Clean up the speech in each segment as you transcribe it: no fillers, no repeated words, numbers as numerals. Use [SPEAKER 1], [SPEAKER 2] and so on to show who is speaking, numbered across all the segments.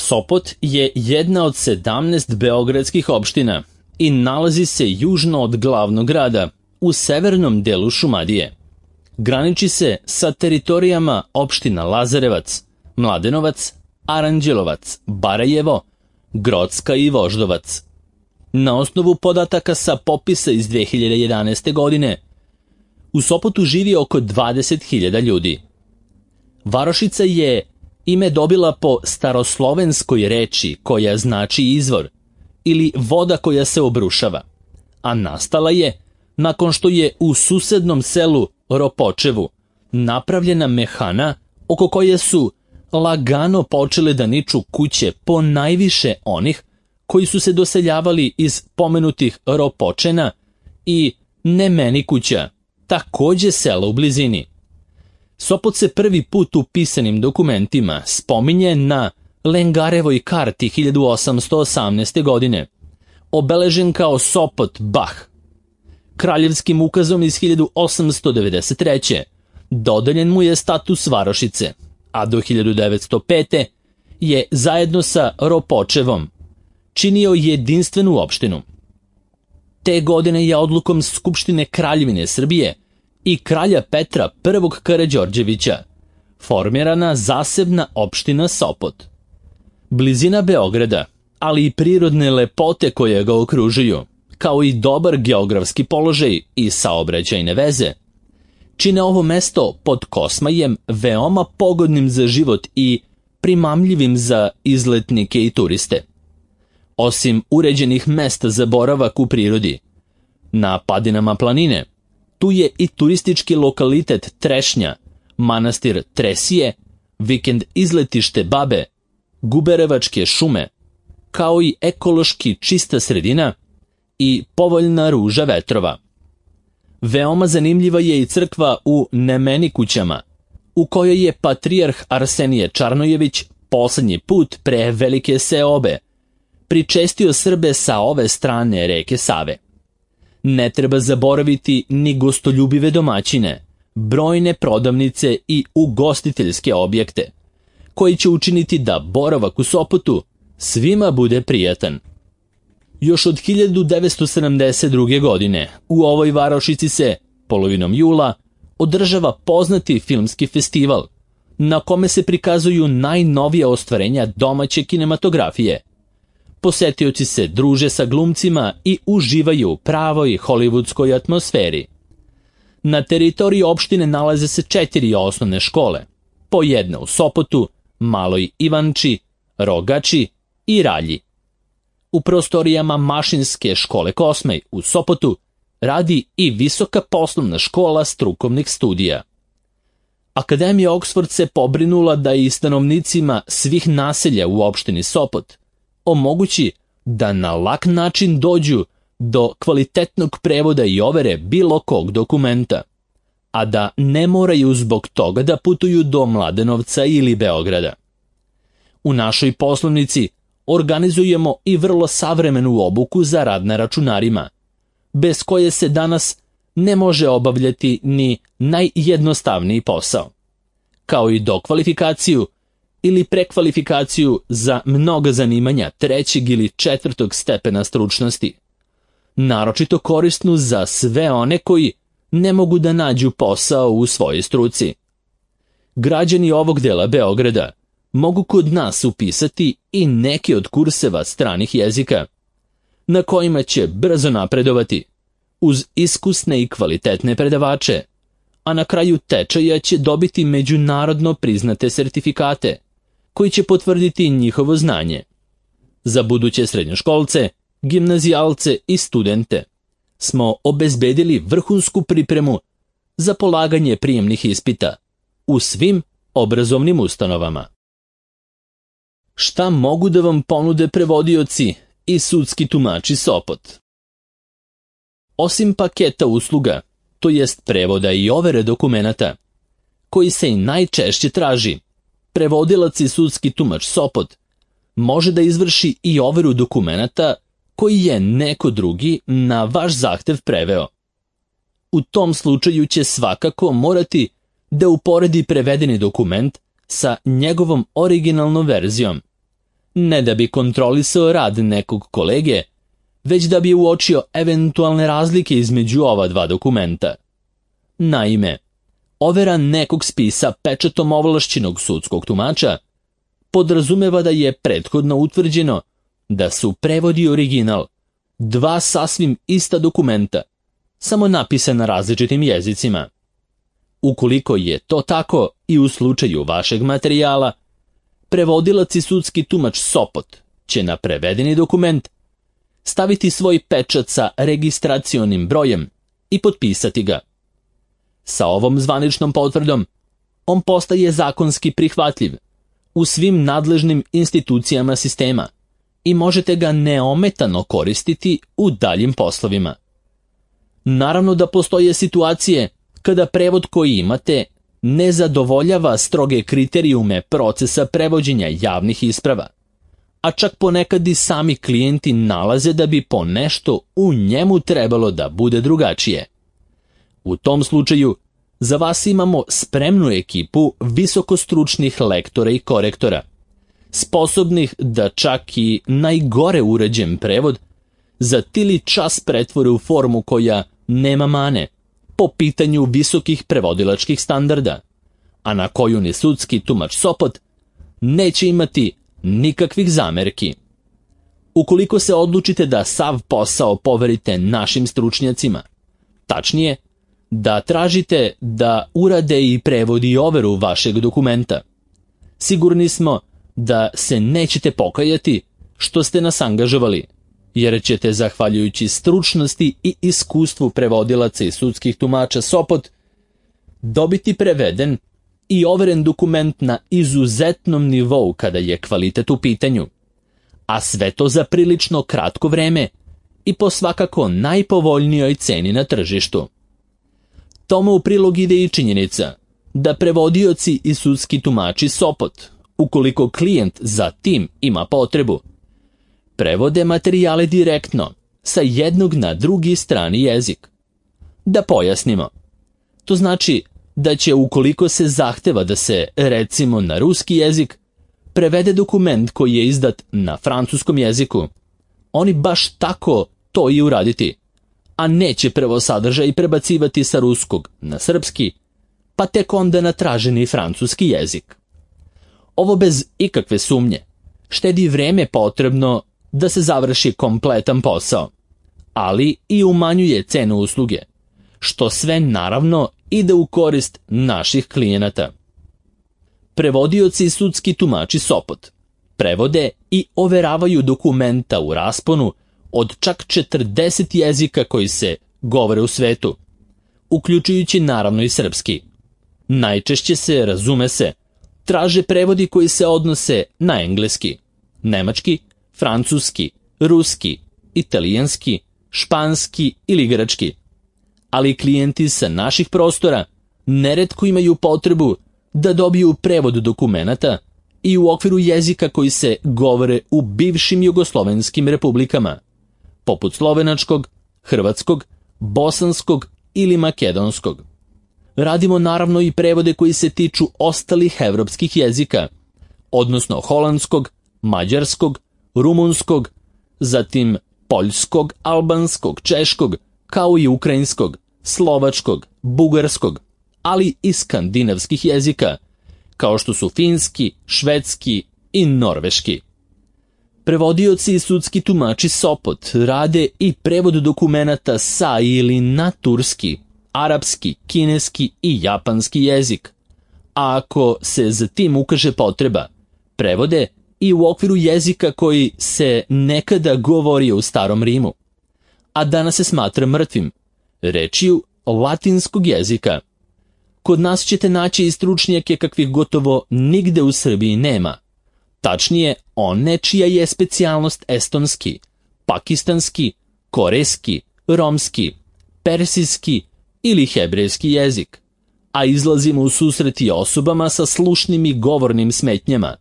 [SPEAKER 1] Sopot je jedna od 17 beogradskih opština i nalazi se južno od glavnog grada, u severnom delu Šumadije. Graniči se sa teritorijama opština Lazarevac, Mladenovac, Aranđelovac, Barajevo, Grocka i Voždovac. Na osnovu podataka sa popisa iz 2011. godine, u Sopotu živi oko 20.000 ljudi. Varošica je ime dobila po staroslovenskoj reči koja znači izvor ili voda koja se obrušava, a nastala je nakon što je u susednom selu Ropočevu napravljena mehana oko koje su lagano počele da niču kuće po najviše onih koji su se doseljavali iz pomenutih Ropočena i Nemenikuća, takođe sela u blizini. Sopot se prvi put u pisanim dokumentima spominje na Lengarevoj karti 1818. godine, obeležen kao Sopot Bah. Kraljevskim ukazom iz 1893. dodeljen mu je status varošice, a do 1905. je zajedno sa Ropočevom činio jedinstvenu opštinu. Te godine je odlukom Skupštine Kraljevine Srbije i kralja Petra I. Karađorđevića formirana zasebna opština Sopot. Blizina Beograda, ali i prirodne lepote koje ga okružuju, kao i dobar geografski položaj i saobraćajne veze, čine ovo mesto pod Kosmajem veoma pogodnim za život i primamljivim za izletnike i turiste. Osim uređenih mesta za boravak u prirodi, na padinama planine, tu je i turistički lokalitet Trešnja, manastir Tresije, vikend izletište Babe, Guberevačke šume, kao i ekološki čista sredina i povoljna ruža vetrova. Veoma zanimljiva je i crkva u Nemenikućama, u kojoj je patrijarh Arsenije Čarnojević poslednji put pre velike seobe pričestio Srbe sa ove strane reke Save. Ne treba zaboraviti ni gostoljubive domaćine, brojne prodavnice i ugostiteljske objekte, koji će učiniti da boravak u Sopotu svima bude prijatan. Još od 1972. godine u ovoj varošici se, polovinom jula, održava poznati filmski festival, na kome se prikazuju najnovija ostvarenja domaće kinematografije. Posetioci se druže sa glumcima i uživaju u pravoj hollywoodskoj atmosferi. Na teritoriji opštine nalaze se 4 osnovne škole, po jedna u Sopotu, Maloj Ivanči, Rogači i Ralji. U prostorijama Mašinske škole Kosmaj u Sopotu radi i Visoka poslovna škola strukovnih studija. Akademija Oksford se pobrinula da i stanovnicima svih naselja u opštini Sopot omogući da na lak način dođu do kvalitetnog prevoda i overe bilo kog dokumenta, a da ne moraju zbog toga da putuju do Mladenovca ili Beograda. U našoj poslovnici organizujemo i vrlo savremenu obuku za rad na računarima, bez koje se danas ne može obavljati ni najjednostavniji posao, kao i dokvalifikaciju ili prekvalifikaciju za mnoga zanimanja 3. ili 4. stepena stručnosti, naročito korisnu za sve one koji ne mogu da nađu posao u svojoj struci. Građani ovog dela Beograda mogu kod nas upisati i neke od kurseva stranih jezika, na kojima će brzo napredovati, uz iskusne i kvalitetne predavače, a na kraju tečaja će dobiti međunarodno priznate sertifikate, koji će potvrditi njihovo znanje. Za buduće srednjoškolce, gimnazijalce i studente smo obezbedili vrhunsku pripremu za polaganje prijemnih ispita u svim obrazovnim ustanovama. Šta mogu da vam ponude prevodioci i sudski tumači Sopot? Osim paketa usluga, to jest prevoda i overe dokumenata, koji se i najčešće traži, prevodilac i sudski tumač Sopot može da izvrši i overu dokumenata koji je neko drugi na vaš zahtev preveo. U tom slučaju će svakako morati da uporedi prevedeni dokument sa njegovom originalnom verzijom. ne da bi kontrolisao rad nekog kolege, već da bi uočio eventualne razlike između ova dva dokumenta. Naime, overa nekog spisa pečatom ovlašćenog sudskog tumača podrazumeva da je prethodno utvrđeno da su prevod i original dva sasvim ista dokumenta, samo napisana različitim jezicima. Ukoliko je to tako i u slučaju vašeg materijala, prevodilac i sudski tumač Sopot će na prevedeni dokument staviti svoj pečat sa registracionim brojem i potpisati ga. Sa ovom zvaničnom potvrdom on postaje zakonski prihvatljiv u svim nadležnim institucijama sistema i možete ga neometano koristiti u daljim poslovima. Naravno da postoje situacije kada prevod koji imate ne zadovoljava stroge kriterijume procesa prevođenja javnih isprava, a čak ponekad i sami klijenti nalaze da bi po nešto u njemu trebalo da bude drugačije. U tom slučaju, za vas imamo spremnu ekipu visokostručnih lektora i korektora, sposobnih da čak i najgore uređen prevod za tili čas pretvore u formu koja nema mane po pitanju visokih prevodilačkih standarda, a na koju ni sudski tumač Sopot neće imati nikakvih zamerki. Ukoliko se odlučite da sav posao poverite našim stručnjacima, tačnije, da tražite da urade i prevod i overu vašeg dokumenta, sigurni smo da se nećete pokajati što ste nas angažovali, jer ćete, zahvaljujući stručnosti i iskustvu prevodilaca i sudskih tumača Sopot, dobiti preveden i overen dokument na izuzetnom nivou kada je kvalitet u pitanju, a sve to za prilično kratko vreme i po svakako najpovoljnijoj ceni na tržištu. Tome u prilog ide i činjenica da prevodioci i sudski tumači Sopot, ukoliko klijent za tim ima potrebu, prevode materijale direktno sa jednog na drugi strani jezik. Da pojasnimo, to znači da će, ukoliko se zahteva da se, recimo na ruski jezik, prevede dokument koji je izdat na francuskom jeziku, oni baš tako to i uraditi, a neće prvo sadržaj prebacivati sa ruskog na srpski, pa tek onda na traženi francuski jezik. Ovo bez ikakve sumnje štedi vreme potrebno da se završi kompletan posao, ali i umanjuje cenu usluge, što sve naravno ide u korist naših klijenata. Prevodioci i sudski tumači Sopot prevode i overavaju dokumenta u rasponu od čak 40 jezika koji se govore u svetu, uključujući naravno i srpski. Najčešće se, razume se, traže prevodi koji se odnose na engleski, nemački, francuski, ruski, italijanski, španski ili grčki. Ali klijenti sa naših prostora neretko imaju potrebu da dobiju prevod dokumenata i u okviru jezika koji se govore u bivšim jugoslovenskim republikama, poput slovenačkog, hrvatskog, bosanskog ili makedonskog. Radimo naravno i prevode koji se tiču ostalih evropskih jezika, odnosno holandskog, mađarskog, rumunskog, zatim poljskog, albanskog, češkog, kao i ukrajinskog, slovačkog, bugarskog, ali i skandinavskih jezika, kao što su finski, švedski i norveški. Prevodioci i sudski tumači Sopot rade i prevod dokumenata sa ili na turski, arapski, kineski i japanski jezik, a ako se za tim ukaže potreba, prevode i u okviru jezika koji se nekada govorio u Starom Rimu, a danas se smatra mrtvim, rečju latinskog jezika. Kod nas ćete naći i stručnjake kakvih gotovo nigde u Srbiji nema. Tačnije, one čija je specijalnost estonski, pakistanski, korejski, romski, persijski ili hebrejski jezik, a izlazimo u susret i osobama sa slušnim i govornim smetnjama,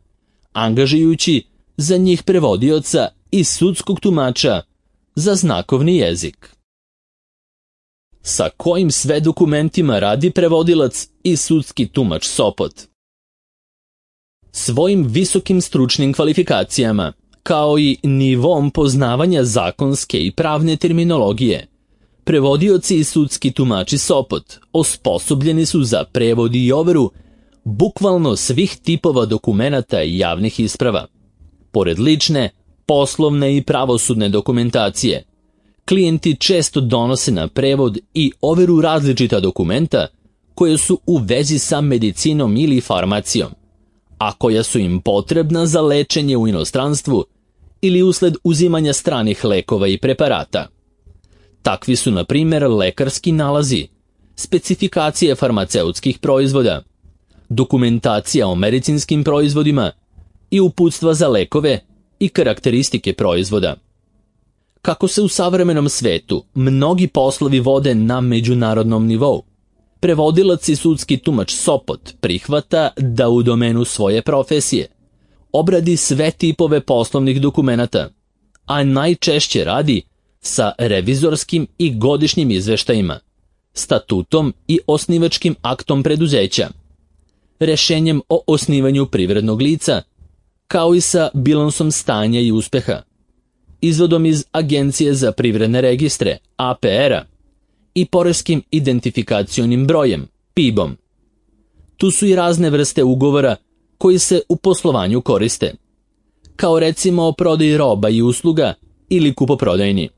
[SPEAKER 1] angažujući za njih prevodioca i sudskog tumača za znakovni jezik. Sa kojim sve dokumentima radi prevodilac i sudski tumač Sopot? svojim visokim stručnim kvalifikacijama, kao i nivom poznavanja zakonske i pravne terminologije. Prevodioci i sudski tumači Sopot osposobljeni su za prevod i overu bukvalno svih tipova dokumenata i javnih isprava. Pored lične, poslovne i pravosudne dokumentacije, klijenti često donose na prevod i overu različita dokumenta koje su u vezi sa medicinom ili farmacijom, a koja su im potrebna za lečenje u inostranstvu ili usled uzimanja stranih lekova i preparata. Takvi su, na primjer, lekarski nalazi, specifikacije farmaceutskih proizvoda, dokumentacija o medicinskim proizvodima i uputstva za lekove i karakteristike proizvoda. Kako se u savremenom svetu mnogi poslovi vode na međunarodnom nivou, prevodilac i sudski tumač Sopot prihvata da u domenu svoje profesije obradi sve tipove poslovnih dokumenata, a najčešće radi sa revizorskim i godišnjim izveštajima, statutom i osnivačkim aktom preduzeća, rešenjem o osnivanju privrednog lica, kao i sa bilansom stanja i uspeha, izvodom iz Agencije za privredne registre, APR-a, i poreskim identifikacionim brojem, PIB-om. Tu su i razne vrste ugovora koji se u poslovanju koriste, kao recimo o prodaji roba i usluga ili kupoprodajni.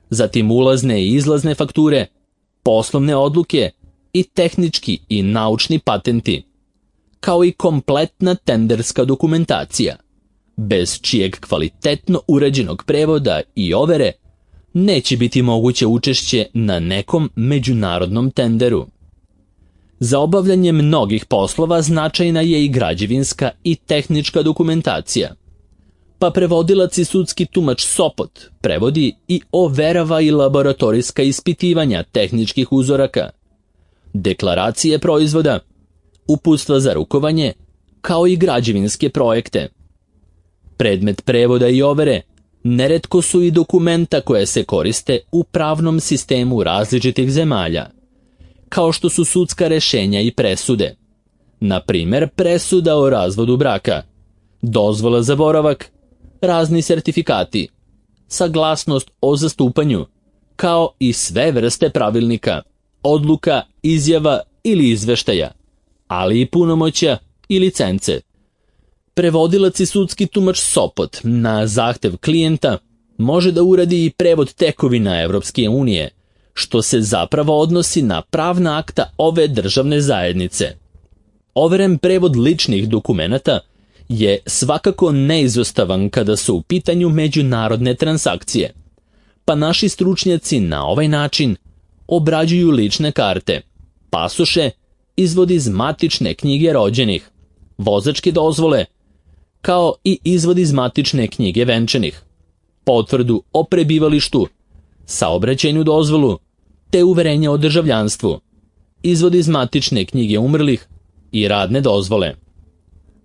[SPEAKER 1] Zatim ulazne i izlazne fakture, poslovne odluke i tehnički i naučni patenti, kao i kompletna tenderska dokumentacija, bez čijeg kvalitetno urađenog prevoda i overe neće biti moguće učešće na nekom međunarodnom tenderu. Za obavljanje mnogih poslova značajna je i građevinska i tehnička dokumentacija, pa prevodilac i sudski tumač Sopot prevodi i overava i laboratorijska ispitivanja tehničkih uzoraka, deklaracije proizvoda, uputstva za rukovanje, kao i građevinske projekte. Predmet prevoda i overe neretko su i dokumenta koje se koriste u pravnom sistemu različitih zemalja, kao što su sudska rešenja i presude, na primjer presuda o razvodu braka, dozvola za boravak, razni sertifikati, saglasnost o zastupanju, kao i sve vrste pravilnika, odluka, izjava ili izveštaja, ali i punomoćja i licence. Prevodilac i sudski tumač Sopot na zahtev klijenta može da uradi i prevod tekovina Evropske unije, što se zapravo odnosi na pravna akta ove državne zajednice. Overen prevod ličnih dokumenata je svakako neizostavan kada su u pitanju međunarodne transakcije, pa naši stručnjaci na ovaj način obrađuju lične karte, pasoše, izvod iz matične knjige rođenih, vozačke dozvole, kao i izvod iz matične knjige venčanih, potvrdu o prebivalištu, saobraćajnu dozvolu, te uverenje o državljanstvu, izvod iz matične knjige umrlih i radne dozvole.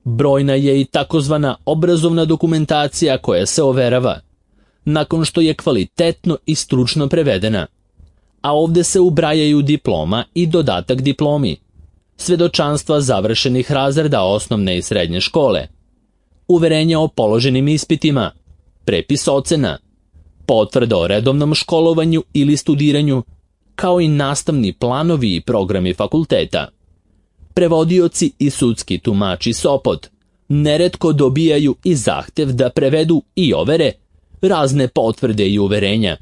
[SPEAKER 1] Brojna je i takozvana obrazovna dokumentacija koja se overava, nakon što je kvalitetno i stručno prevedena, a ovde se ubrajaju diploma i dodatak diplomi, svedočanstva završenih razreda osnovne i srednje škole, uverenja o položenim ispitima, prepis ocena, potvrda o redovnom školovanju ili studiranju, kao i nastavni planovi i programi fakulteta. Prevodioci i sudski tumači Sopot neretko dobijaju i zahtev da prevedu i overe razne potvrde i uverenja,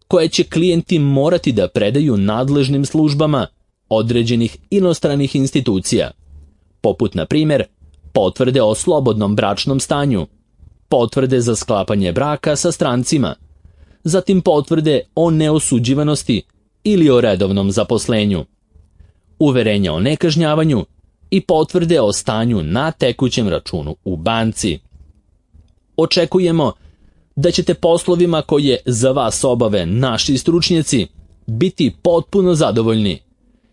[SPEAKER 1] koje će klijenti morati da predaju nadležnim službama određenih inostranih institucija, poput, na primjer, potvrde o slobodnom bračnom stanju, potvrde za sklapanje braka sa strancima, zatim potvrde o neosuđivanosti ili o redovnom zaposlenju, uverenja o nekažnjavanju i potvrde o stanju na tekućem računu u banci. Očekujemo da ćete poslovima koje za vas obave naši stručnjaci biti potpuno zadovoljni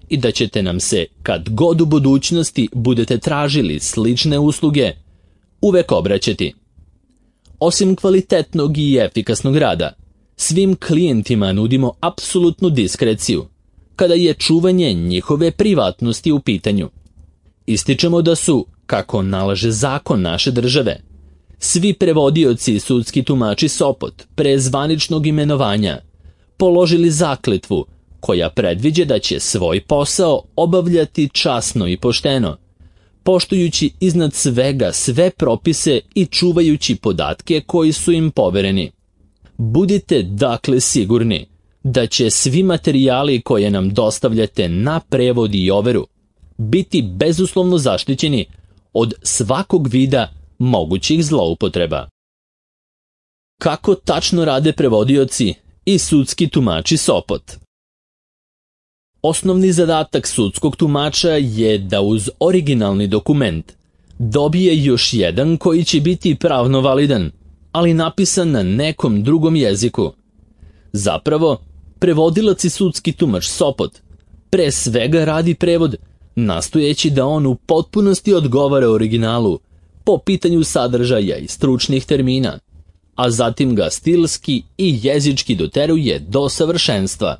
[SPEAKER 1] i da ćete nam se, kad god u budućnosti budete tražili slične usluge, uvek obraćati. Osim kvalitetnog i efikasnog rada, svim klijentima nudimo apsolutnu diskreciju kada je čuvanje njihove privatnosti u pitanju. Ističemo da su kako nalaže zakon naše države. Svi prevodioci i sudski tumači Sopot, pre zvaničnog imenovanja, položili zakletvu koja predviđa da će svoj posao obavljati časno i pošteno, poštujući iznad svega sve propise i čuvajući podatke koji su im povereni. Budite dakle sigurni da će svi materijali koje nam dostavljate na prevod i overu biti bezuslovno zaštićeni od svakog vida mogućih zloupotreba. Kako tačno rade prevodioci i sudski tumači Sopot? Osnovni zadatak sudskog tumača je da uz originalni dokument dobije još jedan koji će biti pravno validan, ali napisan na nekom drugom jeziku. Zapravo, prevodilac i sudski tumač Sopot pre svega radi prevod, nastojeći da on u potpunosti odgovara originalu po pitanju sadržaja i stručnih termina, a zatim ga stilski i jezički doteruje do savršenstva.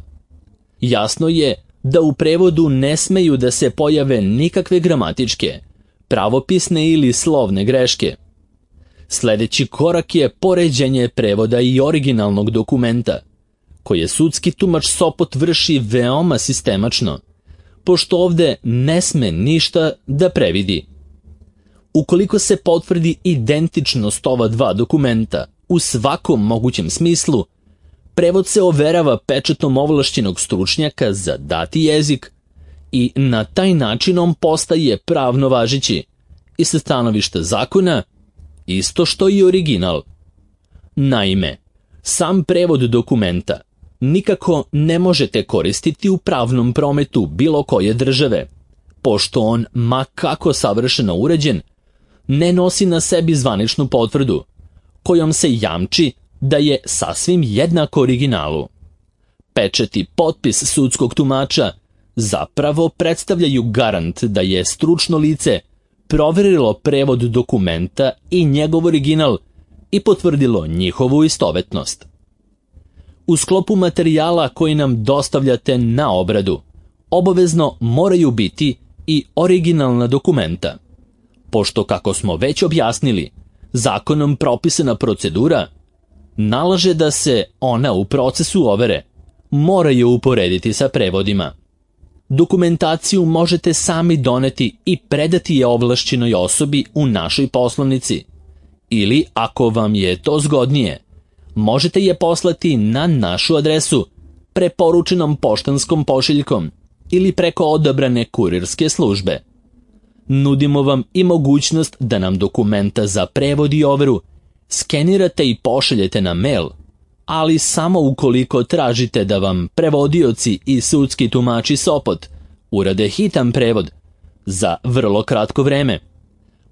[SPEAKER 1] Jasno je da u prevodu ne smeju da se pojave nikakve gramatičke, pravopisne ili slovne greške. Sljedeći korak je poređenje prevoda i originalnog dokumenta, koje sudski tumač Sopot vrši veoma sistemačno, pošto ovde ne sme ništa da previdi. Ukoliko se potvrdi identičnost ova dva dokumenta u svakom mogućem smislu, prevod se overava pečatom ovlašćenog stručnjaka za dati jezik i na taj način on postaje pravno važeći i sa stanovišta zakona isto što i original. Naime, sam prevod dokumenta nikako ne možete koristiti u pravnom prometu bilo koje države, pošto on, ma kako savršeno uređen, ne nosi na sebi zvaničnu potvrdu, kojom se jamči da je sasvim jednak originalu. Pečat i potpis sudskog tumača zapravo predstavljaju garant da je stručno lice proverilo prevod dokumenta i njegov original i potvrdilo njihovu istovetnost. U sklopu materijala koji nam dostavljate na obradu, obavezno moraju biti i originalna dokumenta, pošto, kako smo već objasnili, zakonom propisana procedura nalaže da se ona u procesu overe moraju uporediti sa prevodima. Dokumentaciju možete sami doneti i predati je ovlašćenoj osobi u našoj poslovnici, ili, ako vam je to zgodnije, možete je poslati na našu adresu preporučenom poštanskom pošiljkom ili preko odabrane kurirske službe. Nudimo vam i mogućnost da nam dokumenta za prevod i overu skenirate i pošaljete na mail, ali samo ukoliko tražite da vam prevodioci i sudski tumači Sopot urade hitan prevod za vrlo kratko vreme,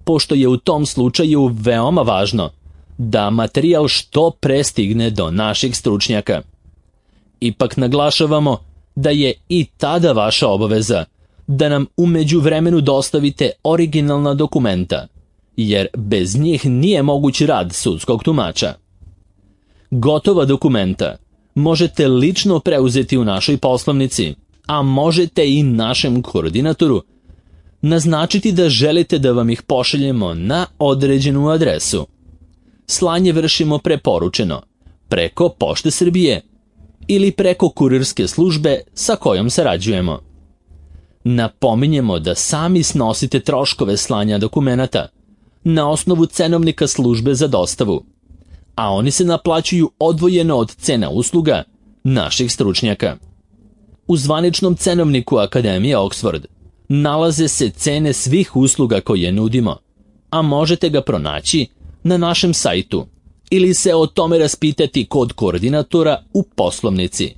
[SPEAKER 1] pošto je u tom slučaju veoma važno da materijal što pre stigne do naših stručnjaka. Ipak naglašavamo da je i tada vaša obaveza da nam u međuvremenu dostavite originalna dokumenta, jer bez njih nije moguć rad sudskog tumača. Gotova dokumenta možete lično preuzeti u našoj poslovnici, a možete i našem koordinatoru naznačiti da želite da vam ih pošaljemo na određenu adresu. Slanje vršimo preporučeno preko Pošte Srbije ili preko kurirske službe sa kojom sarađujemo. Napominjemo da sami snosite troškove slanja dokumenata na osnovu cenovnika službe za dostavu, a oni se naplaćuju odvojeno od cena usluga naših stručnjaka. U zvaničnom cenovniku Akademije Oxford nalaze se cene svih usluga koje nudimo, a možete ga pronaći na našem sajtu ili se o tome raspitati kod koordinatora u poslovnici.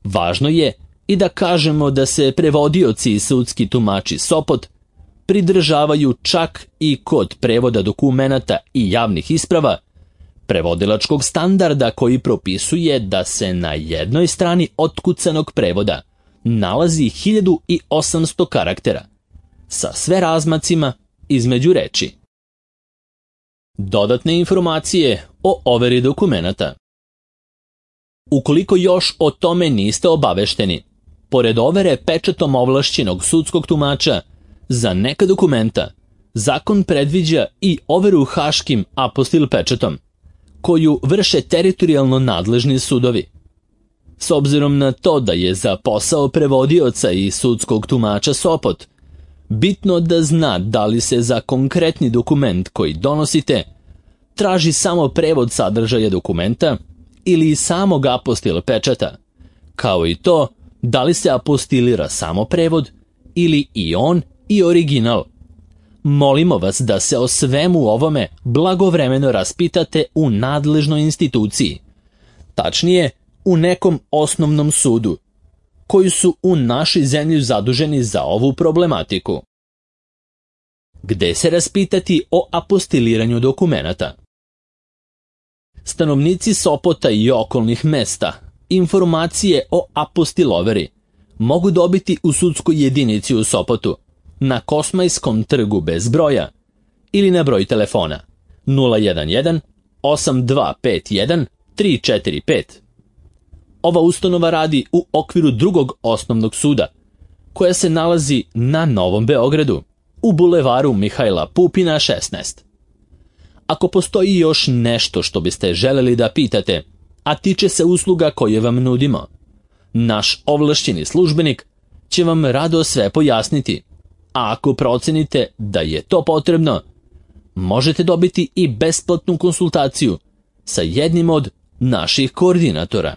[SPEAKER 1] Važno je i da kažemo da se prevodioci i sudski tumači Sopot pridržavaju čak i kod prevoda dokumenata i javnih isprava prevodilačkog standarda koji propisuje da se na jednoj strani otkucanog prevoda nalazi 1800 karaktera sa sve razmacima između reči. Dodatne informacije o overi dokumenata. Ukoliko još o tome niste obavešteni, pored overe pečatom ovlašćenog sudskog tumača, za neka dokumenta zakon predviđa i overu haškim apostil pečatom, koju vrše teritorijalno nadležni sudovi. S obzirom na to da je za posao prevodioca i sudskog tumača Sopot bitno da zna da li se za konkretni dokument koji donosite traži samo prevod sadržaja dokumenta ili i samog apostila pečata, kao i to da li se apostilira samo prevod ili i on i original. Molimo vas da se o svemu ovome blagovremeno raspitate u nadležnoj instituciji, tačnije u nekom osnovnom sudu, koji su u našoj zemlji zaduženi za ovu problematiku. Gde se raspitati o apostiliranju dokumenata? Stanovnici Sopota i okolnih mesta informacije o apostiloveri mogu dobiti u sudskoj jedinici u Sopotu, na Kosmajskom trgu bez broja ili na broj telefona 011 8251 345. Ova ustanova radi u okviru drugog osnovnog suda, koja se nalazi na Novom Beogradu, u bulevaru Mihajla Pupina 16. Ako postoji još nešto što biste želeli da pitate, a tiče se usluga koje vam nudimo, naš ovlašćeni službenik će vam rado sve pojasniti, a ako procenite da je to potrebno, možete dobiti i besplatnu konsultaciju sa jednim od naših koordinatora.